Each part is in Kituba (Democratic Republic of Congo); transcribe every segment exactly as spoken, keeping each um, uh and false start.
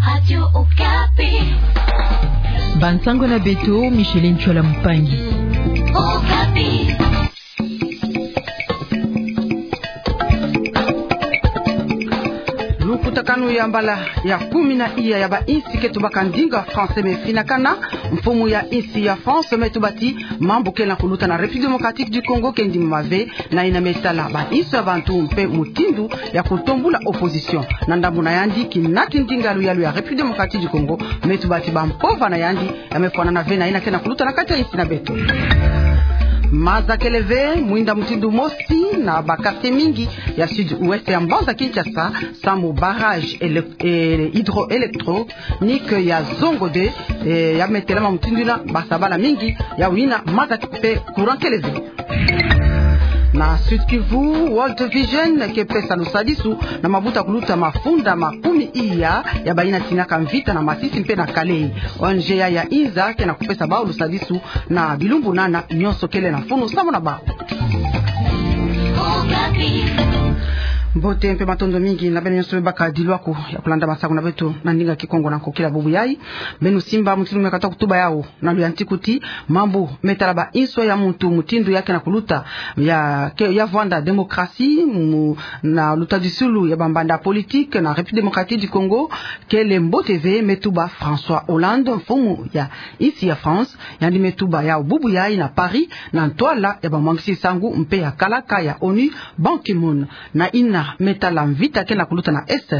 Radio Okapi. Bansango na beto, Micheline Tchola Mpangi. Okapi. Lukutakanu ya mbala ya kumi na iya ya bainsi ke tubaka ndinga français me finakana. Mfumu ya insi ya France me tuba ti mambu ke na kuluta na République Démocratique du Congo ke ndimama ve, na yina me tala bainso ya bantu mpe mutindu ya kutombula opposition. Na ndambu na yandi, kinati ndinga luyalu ya République Démocratique du Congo me tuba ti bampova na yandi ya me fwanana ve na yina ke na kuluta na kati ya insi na beto. Maza kele ve mwinda mutindu mosi na ba quartier mingi ya sud-ouest ya mbanza Kinshasa, samu barrage ele-, eh, hydroélectro- nique ya Zongo deux, eh, ya me telama mutindu yina, basa bala mingi ya wina maza mpe courant kele ve. Na Sud-Kivu, World Vision ke pesa lusadisu na mabuta kuluta mafunda makumi iya ya bayina tinaka mvita na Masisi mpe na Kalehe. O N G ya, ya inza ke na kupesa bau lusadisu na bilumbu nana nyonso kele na mfunu samu na bau. Mbote mpe matondo mingi na beno nyonso be baka diluaku ya kulanda masangu na beto na ndinga Kikongo na nkokila bubu yai. Beno simba mutindu me kata kutuba yau na luyantiku ti mambu me tala bainso ya muntu mutindu ya ke na kuluta ya ke, ya vwanda démocratie mu, na lutadisulu ya bambanda politique na République Démocratique du Congo, kele mbote ve, me tuba François Hollande, mfumu ya insi ya France. Yandi me tuba yau bubu yai na Paris, na ntwala ya bamwangisi nsangu mpe ya kalaka ya ONU, Ban Ki-moon. Na yina me tala mvita ke na kuluta na Est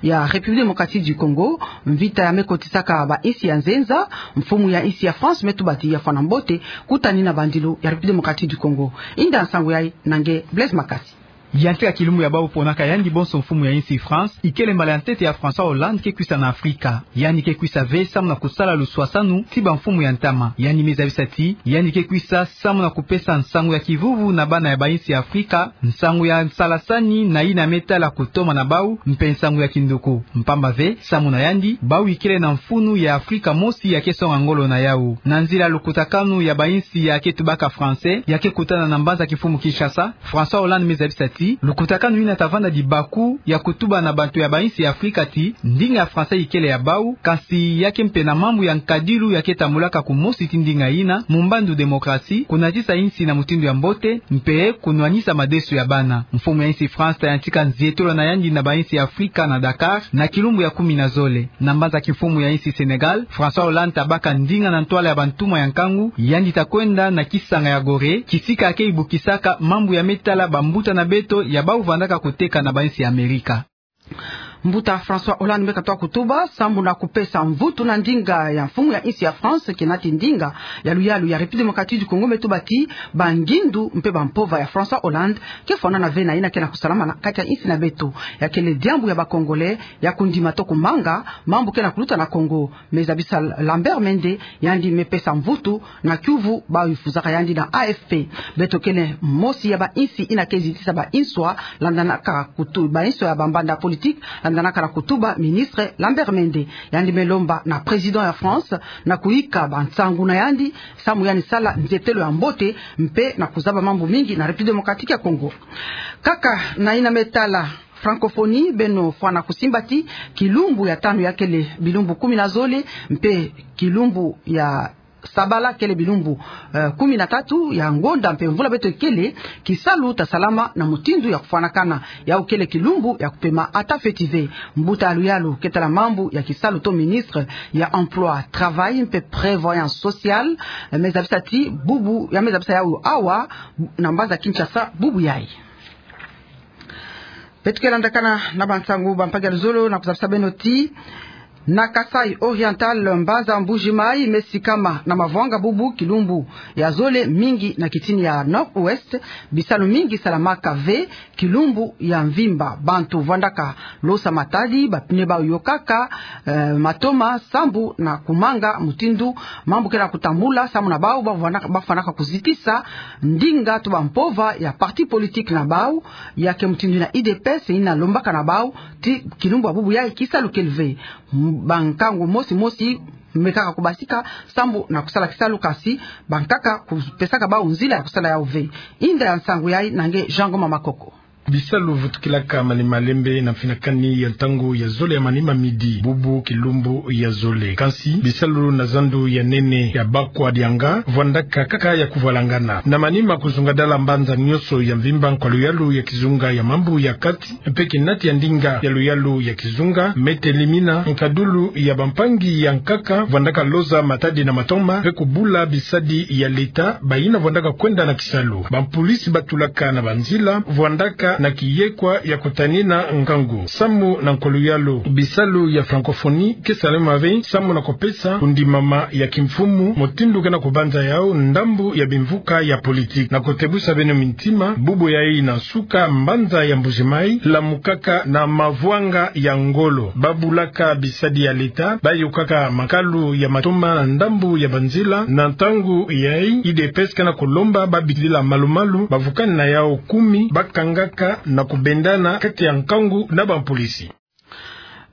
ya République Démocratique du Congo, mvita ya me kotisaka bainsi ya nzenza. Mfumu ya insi ya France me tuba ti ya fwana mbote kutani na bandilu ya République Démocratique du Congo. Inda nsangu yai na nge Blaise Makasi. Yantika kilumbu ya bau ponaka yandi bonso mfumu ya insi France, ikele mbala ya ntete ya François Hollande ke kwisa na Afrika. Yandi ke kwisa ve samu na kusala luswasanu ti bamfumu ya ntama. Yandi me zabisa ti yandi ke kwisa samu na kupesa nsangu ya kivuvu na bana ya bainsi ya Afrika, nsangu ya nsalasani na yina me tala kutoma na bau, mpe nsangu ya kinduku. Mpamba ve, samu na yandi, bau ikele na mfunu ya Afrika mosi ya ke songa ngolo na yau. Na nzila lukutakanu ya bainsi ya ke tubaka français ya ke kutana na mbanza kimfumu Kinshasa, François Hollande me zabisa ti lukutakanu yina ta vanda dibaku ya kutuba na bantu ya bainsi ya Afrika ti ndinga ya français ikele ya bau, kansi ya ke mpe na mambu ya nkadilu ya ke tambulaka kumosi ti ndinga yina, mu mbandu démocratie, kunatisa insi na mutindu ya mbote, mpe kunwanisa madesu ya bana. Mfumu ya insi France ta yantika nzietolo na yandi na bainsi ya Afrika na Dakar na kilumbu ya kumi na zole. Na mbanza kimfumu ya insi Sénégal, François Hollande ta baka ndinga na ntwala ya bantumwa ya nkangu, yandi ta kwenda na kisanga ya Gorée, kisika ke ibukisaka mambu ya me tala bambuta na beto ya bau vandaka kuteka na bainsi ya Amerika. Mbuta François Hollande me katoa kutuba samu na kupesa mvutu na ndinga ya mfumu ya insi ya France, kinati ndinga ya luyalu ya République Démocratique du Congo, me tuba ti bangindu mpe bampova ya François Hollande ke fwanana ve na yina ke na kusalama na kati ya insi na beto. Ya kele diambu ya ba Congolais ya kundima to kumanga mambu ke na kuluta na Congo. Me zabisa Lambert Mende, yandi me pesa mvutu na kiuvu bau ifuzaka yandi na A F P. Beto kele mosi ya bainsi yina ke zitisa bainswa landanaka kutu-, bainswa ya bambanda politique landanaka na kutuba ministre Lambert Mende. Yandi me lomba na président ya France na kuyika bansangu na yandi samu yandi sala nzietelo ya mbote mpe na kuzaba mambu mingi na République Démocratique ya Congo. Kaka na yina me tala francophonie, beno fwana kusimba ti kilumbu ya tanu ya kele bilumbu kumi na zole, mpe kilumbu ya sabala kele bilumbu, eh, kumi na tatu ya ngonda mpe mvula beto ikele, kisalu ta salama na mutindu ya kufwanakana. Yau kele kilumbu ya kupema ata feti ve. Mbuta ya luyalu ke tala mambu ya kisalu to ministre ya emploi, travail mpe prévoyance sociale, eh, me zabisa ti bubu, ya me zabisa yau awa na mbanza Kinshasa bubu yai. Beto ke landakana na bansangu, bampangi ya luzolo, na kuzabisa beno ti na Kasaï Oriental, mbanza Mbuji-Mayi me sikama na mavwanga bubu kilumbu ya zole, mingi na kitini ya Nord-Ouest, bisalu mingi salamaka ve kilumbu ya mvimba. Bantu vwandaka losa matadi, ba pneu bau yokaka, eh, matoma, sambu na kumanga mutindu mambu ke na kutambula samu na bau, ba vwandaka, ba fwanaka kuzitisa ndinga to bampova ya parti politique na bau, ya ke mutindu na U D P S, yina lombaka na bau ti kilumbu ya bubu yai kisalu kele ve. M-, bankangu mosi mosi me kaka kubasika sambu na kusala kisalu, kansi bankaka kupesaka bau nzila ya kusala yau ve. Inda ya nsangu yai na nge Jean Ngoma Makoko. Bisalu vutukilaka Maniema Lembe na mfinakani ya ntangu ya zole ya Maniema midi, bubu kilumbu ya zole. Kansi bisalu na zandu ya nene ya Bakwa Dianga vwandaka kaka ya kuvwalangana. Na Maniema kuzungadala mbanza nionso ya mvimba, nkwa luyalu ya kizunga ya mambu ya kati mpe kinati ya ndinga ya luyalu ya kizunga, Me Telimina, nkadulu ya bampangi ya nkaka vwandaka loza matadi na matoma mpe kubula bisadi ya leta bayina vwandaka kwenda na kisalu. Bampolisi batulaka na banzila vwandaka na kiyekwa ya kutanina nkangu. Samu na nkwa luyalu, bisalu ya francophonie ke salama ve samu na kupesa kundimama ya kimfumu mutindu ke na kubanza yau ndambu ya bimvuka ya politique. Na kutebusa beno mintima, bubu yayi na nsuka, mbanza ya Mbuji-Mayi lamukaka na mavwanga ya ngolo. Babulaka bisadi ya leta, bayokaka makalu ya matoma na ndambu ya banzila. Na ntangu yayi, U D P S ke na kulomba babidila malu-malu bavukani na yau kumi bakangaka na kubendana kati ya nkangu na bampolisi.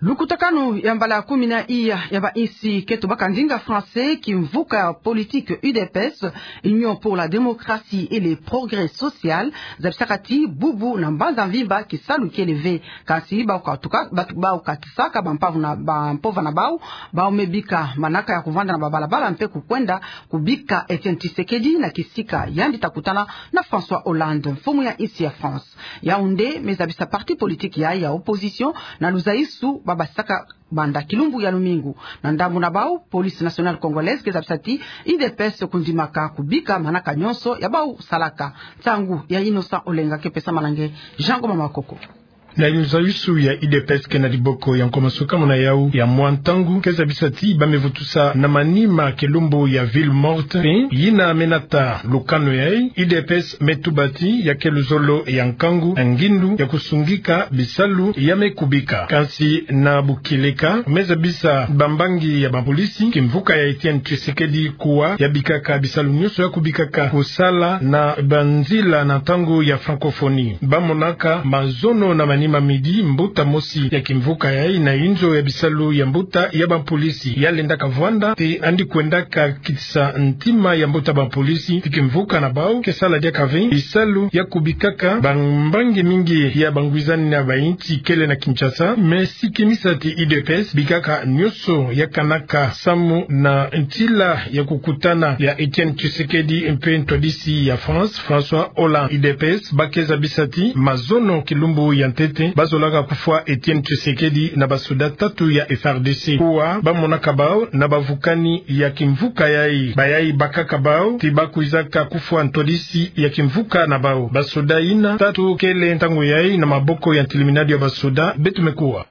Lukutakanu ya mbala kumi na iya ya bainsi keto baka ndinga français, kimvuka ya politique U D P S, Union pour la démocratie et le progrès social, zabisaka ti bubu na mbanza mvimba kisalu kele ve. Kansi bau katuka, batu-, bau katisaka bampangu na bampova na bau, bau me bika manaka ya kuvanda na babalabala mpe kukwenda kubika Etienne Tshisekedi na kisika yandi ta kutana na François Hollande, mfumu ya insi ya France. Yau nde me zabisa parti politique ya, ya opposition na luzaisu babasaka banda kilumbu ya lumingu. Na ndambu na bau, Police Nationale Congolaise ke zabisa ti U D P S kundimaka kubika manaka nionso ya bau salaka. Nsangu ya Innocent Olenga ke pesama na nge Jean Ngoma Makoko. Na luzaisu ya U D P S ke na diboko ya nkwa masuka muna yau ya mwa ntangu ke zabisa ti ba me vutusa na Maniema kilumbu ya ville morte, pe yina me nata lukanu yayi. U D P S me tuba ti ya ke luzolo ya nkangu, ngindu ya kusungika bisalu ya me kubika. Kansi na bukieleka, me zabisa bambangi ya bapolisi, kimvuka ya Etienne Tshisekedi kuwa ya bikaka bisalu nionso ya kubikaka kusala na banzila na ntangu ya francophonie. Ba monaka mazono na Maniema midi, mbuta mosi ya kimvuka yayi na inzo ya bisalu ya mbuta ya bapolisi, ya lendaka vwanda te yandi kwendaka kitisa ntima ya mbuta bapolisi ti kimvuka na bau ke sala diaka ve bisalu ya kubikaka bambangi mingi ya bangwizani na bainsi kele na Kinshasa. Me sikimisa ti U D P S bikaka nionso ya kanaka samu na ntila ya kukutana ya Etienne Tshisekedi mpe ntwadisi ya France, François Hollande. U D P S ba ke zabisa ti mazono kilumbu ya ntete ba zolaka kufwa Etienne Tshisekedi na basoda tatu ya F R D C. Kuwa ba monaka bau na bavukani ya kimvuka yayi. Bayayi bakaka bau ti ba kwizaka kufwa ntwadisi ya kimvuka na bau. Basoda yina tatu kele ntangu yayi na maboko ya ntiliminadu ya basoda. Beto me kuwa.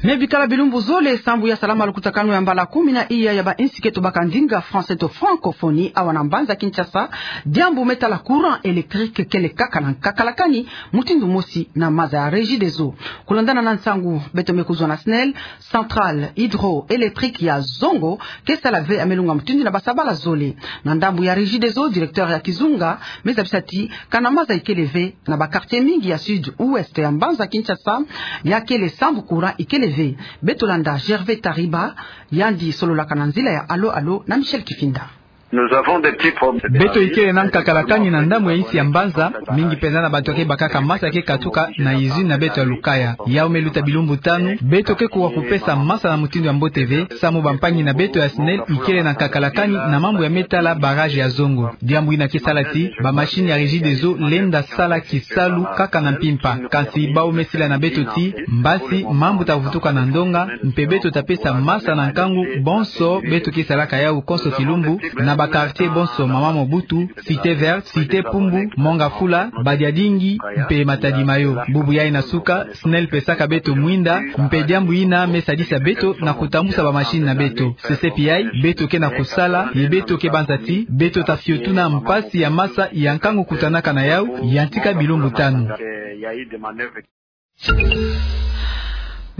Me bikala bilumbu zole sambu ya salama lukutakanu ya mbala kumi na iya ya bainsi keto baka ndinga français to francophonie, awa na mbanza Kinshasa, diambu me tala courant électrique kele kaka na nkakalakani mutindu mosi na maza ya Regideso. Kulandana na nsangu beto me kuzwa na SNEL, centrale hydroélectrique ya Zongo ke sala ve ya me lunga mutindu na basabala zole. Na ndambu ya Regideso, directeur ya kizunga me zabisa ti kana maza ikele ve na ba quartier mingi ya sud-ouest ya mbanza Kinshasa, ya kele sambu courant ikele ve. Beto landa Gervais Tariba, yandi sololaka na nzila ya alo alo na Michel Kifinda. Nous avons des petits problèmes. Beto ikele na nkakalakani na ndambu ya insi ya mbanza, mingi penza na bantu ke bakaka maza ke katuka na usine na beto ya Lukaya. Yau me luta bilumbu tanu, beto ke kuwa kupesa maza na mutindu ya mbote ve, samu bampangi na beto ya SNEL ikele na nkakalakani na mambu ya me tala barrage ya Zongo. Diambu yina ke sala ti ba machine ya Regideso lenda sala kisalu kaka na mpimpa. Kansi bau me sila na beto ti mbasi mambu ta vutuka na ndonga, mpe beto ta pesa maza na nkangu bonso beto ke salaka yau konso kilumbu, na ba quartier bonso, Mama Mobutu, Cité Verte, Cité Pumbu, Mont Ngafula, Badiadingi, mpe Matadi Mayo. Bubu yayi na suka, SNEL pesaka beto mwinda, mpe diambu yina me sadisa beto na kutambusa ba machine na beto. Sese pi yayi, beto ke na kusala, ye beto ke banza ti beto ta fiotuna mpasi ya maza ya nkangu kutanaka na yau, yantika bilumbu tanu.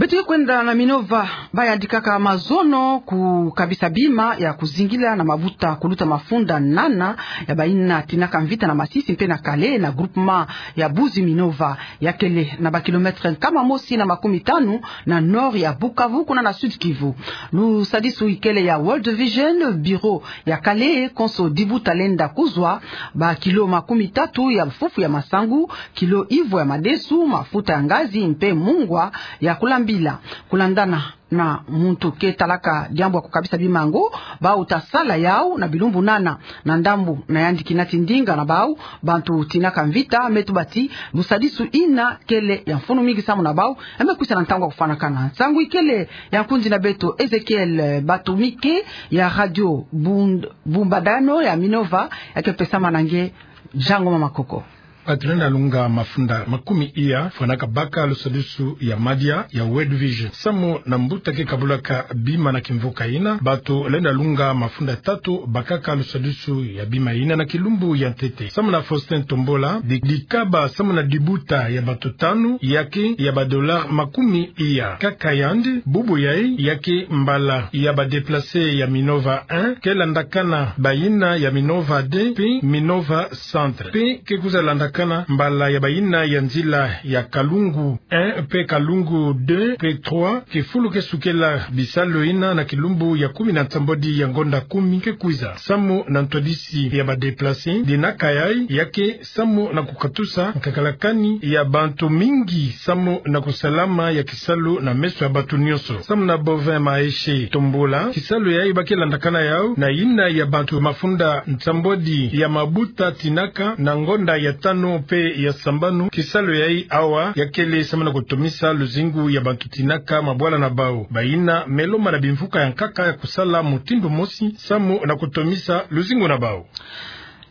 Ti kwenda na Minova, bayandikaka mazono kukabisa bima ya kuzingila na mabuta kuluta mafunda nana ya bayina tinaka mvita na Masisi mpe na Kale na groupement ya Buzi Minova, ya kele na ba kilomètre nkama mosi na makumi tanu na nord ya Bukavu, kuna na Sud-Kivu. Lusadisu ikele ya World Vision, bureau ya Kale, konso dibuta lenda kuzwa ba kilo makumi tatu ya fufu ya masangu, kilo ivwa ya madesu, mafuta ya ngazi mpe mungwa ya kulambila. Kulandana na muntu ke talaka diambu ya kukabisa bima yango, bau ta sala yau na bilumbu nana. Na ndambu na yandi kina ti ndinga na bau, bantu tinaka mvita me tuba ti lusadisu yina kele ya mfunu mingi samu na bau, e me kwisa na ntangu ya kufwanakana. Nsangu ikele ya nkundi na beto Ezekiel Batumike ya Radio Bund-, Bumbadano ya Minova, ya ke pesama na nge Jean Ngoma Makoko. Batu lenda lunga mafunda makumi iya fwanaka baka lusadisu ya madia ya World Vision. Samu na mbuta ke kabulaka bima na kimvuka yina, batu lenda lunga mafunda tatu bakaka lusadisu ya bima yina na kilumbu ya ntete. Samu na Faustin Tombola, di-, dikaba samu na dibuta ya batu tanu, ya ke ya ba dollars makumi iya. Kaka yandi, bubu yayi, ya ke mbala ya ba déplacés ya Minova un, ke landakana bayina ya Minova deux mpe Minova Centre. Mpe ke kwiza landakana mbala ya bayina ya nzila ya Kalungu un mpe Kalungu deux mpe trois, ke fulu ke sukela bisalu yina na kilumbu ya kumi na nsambwadi ya ngonda kumi ke kwiza. Samu na ntwadisi ya ba déplacés, dinaka yayi, ya ke samu na kukatusa nkakalakani ya bantu mingi, samu na kusalama ya kisalu na meso ya bantu nyonso. Samu na Bovin Maeshe Tombola, kisalu yayi ba ke landakana yau na yina ya bantu mafunda nsambwadi ya mabuta tinaka na ngonda ya tanu mpe ya sambanu. Kisalu yayi awa ya kele samu na kutomisa luzingu ya bantu tinaka mabwala na bau. Bayina me lomba na bimvuka ya nkaka ya kusala mutindu mosi samu na kutomisa luzingu na bau.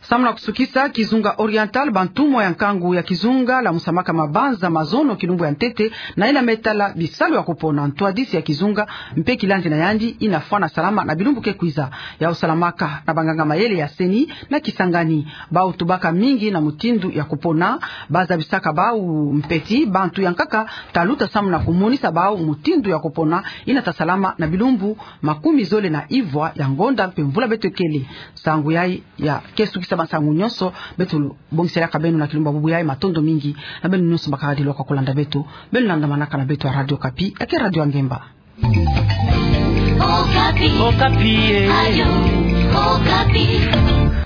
Samu na kusukisa, kizunga Oriental, bantumwa ya nkangu ya kizunga lamusamaka mabanza mazono kilumbu ya ntete, na yina me tala bisalu ya kupona. Ntwadisi ya kizunga mpe kilandi na yandi yina fwana salama na bilumbu ke kwiza. Yau salamaka na banganga mayele ya CENI na Kisangani. Bau tubaka mingi na mutindu ya kupona, ba zabisaka bau mpe ti bantu ya nkaka ta luta samu na kumonisa bau mutindu ya kupona yina ta salama na bilumbu makumi zole na ivwa ya ngonda mpe mvula beto kele. Nsangu yayi ya ke sukisa bansangu nyonso beto bongisaka beno na kilumbu ya bubu yayi. Matondo mingi na beno nyonso bakaka diloka kulanda beto. Beno landamanaka na beto ya Radio Okapi, ya ke radio ya ngemba. Okapi. Okapi, eh. Radio Okapi.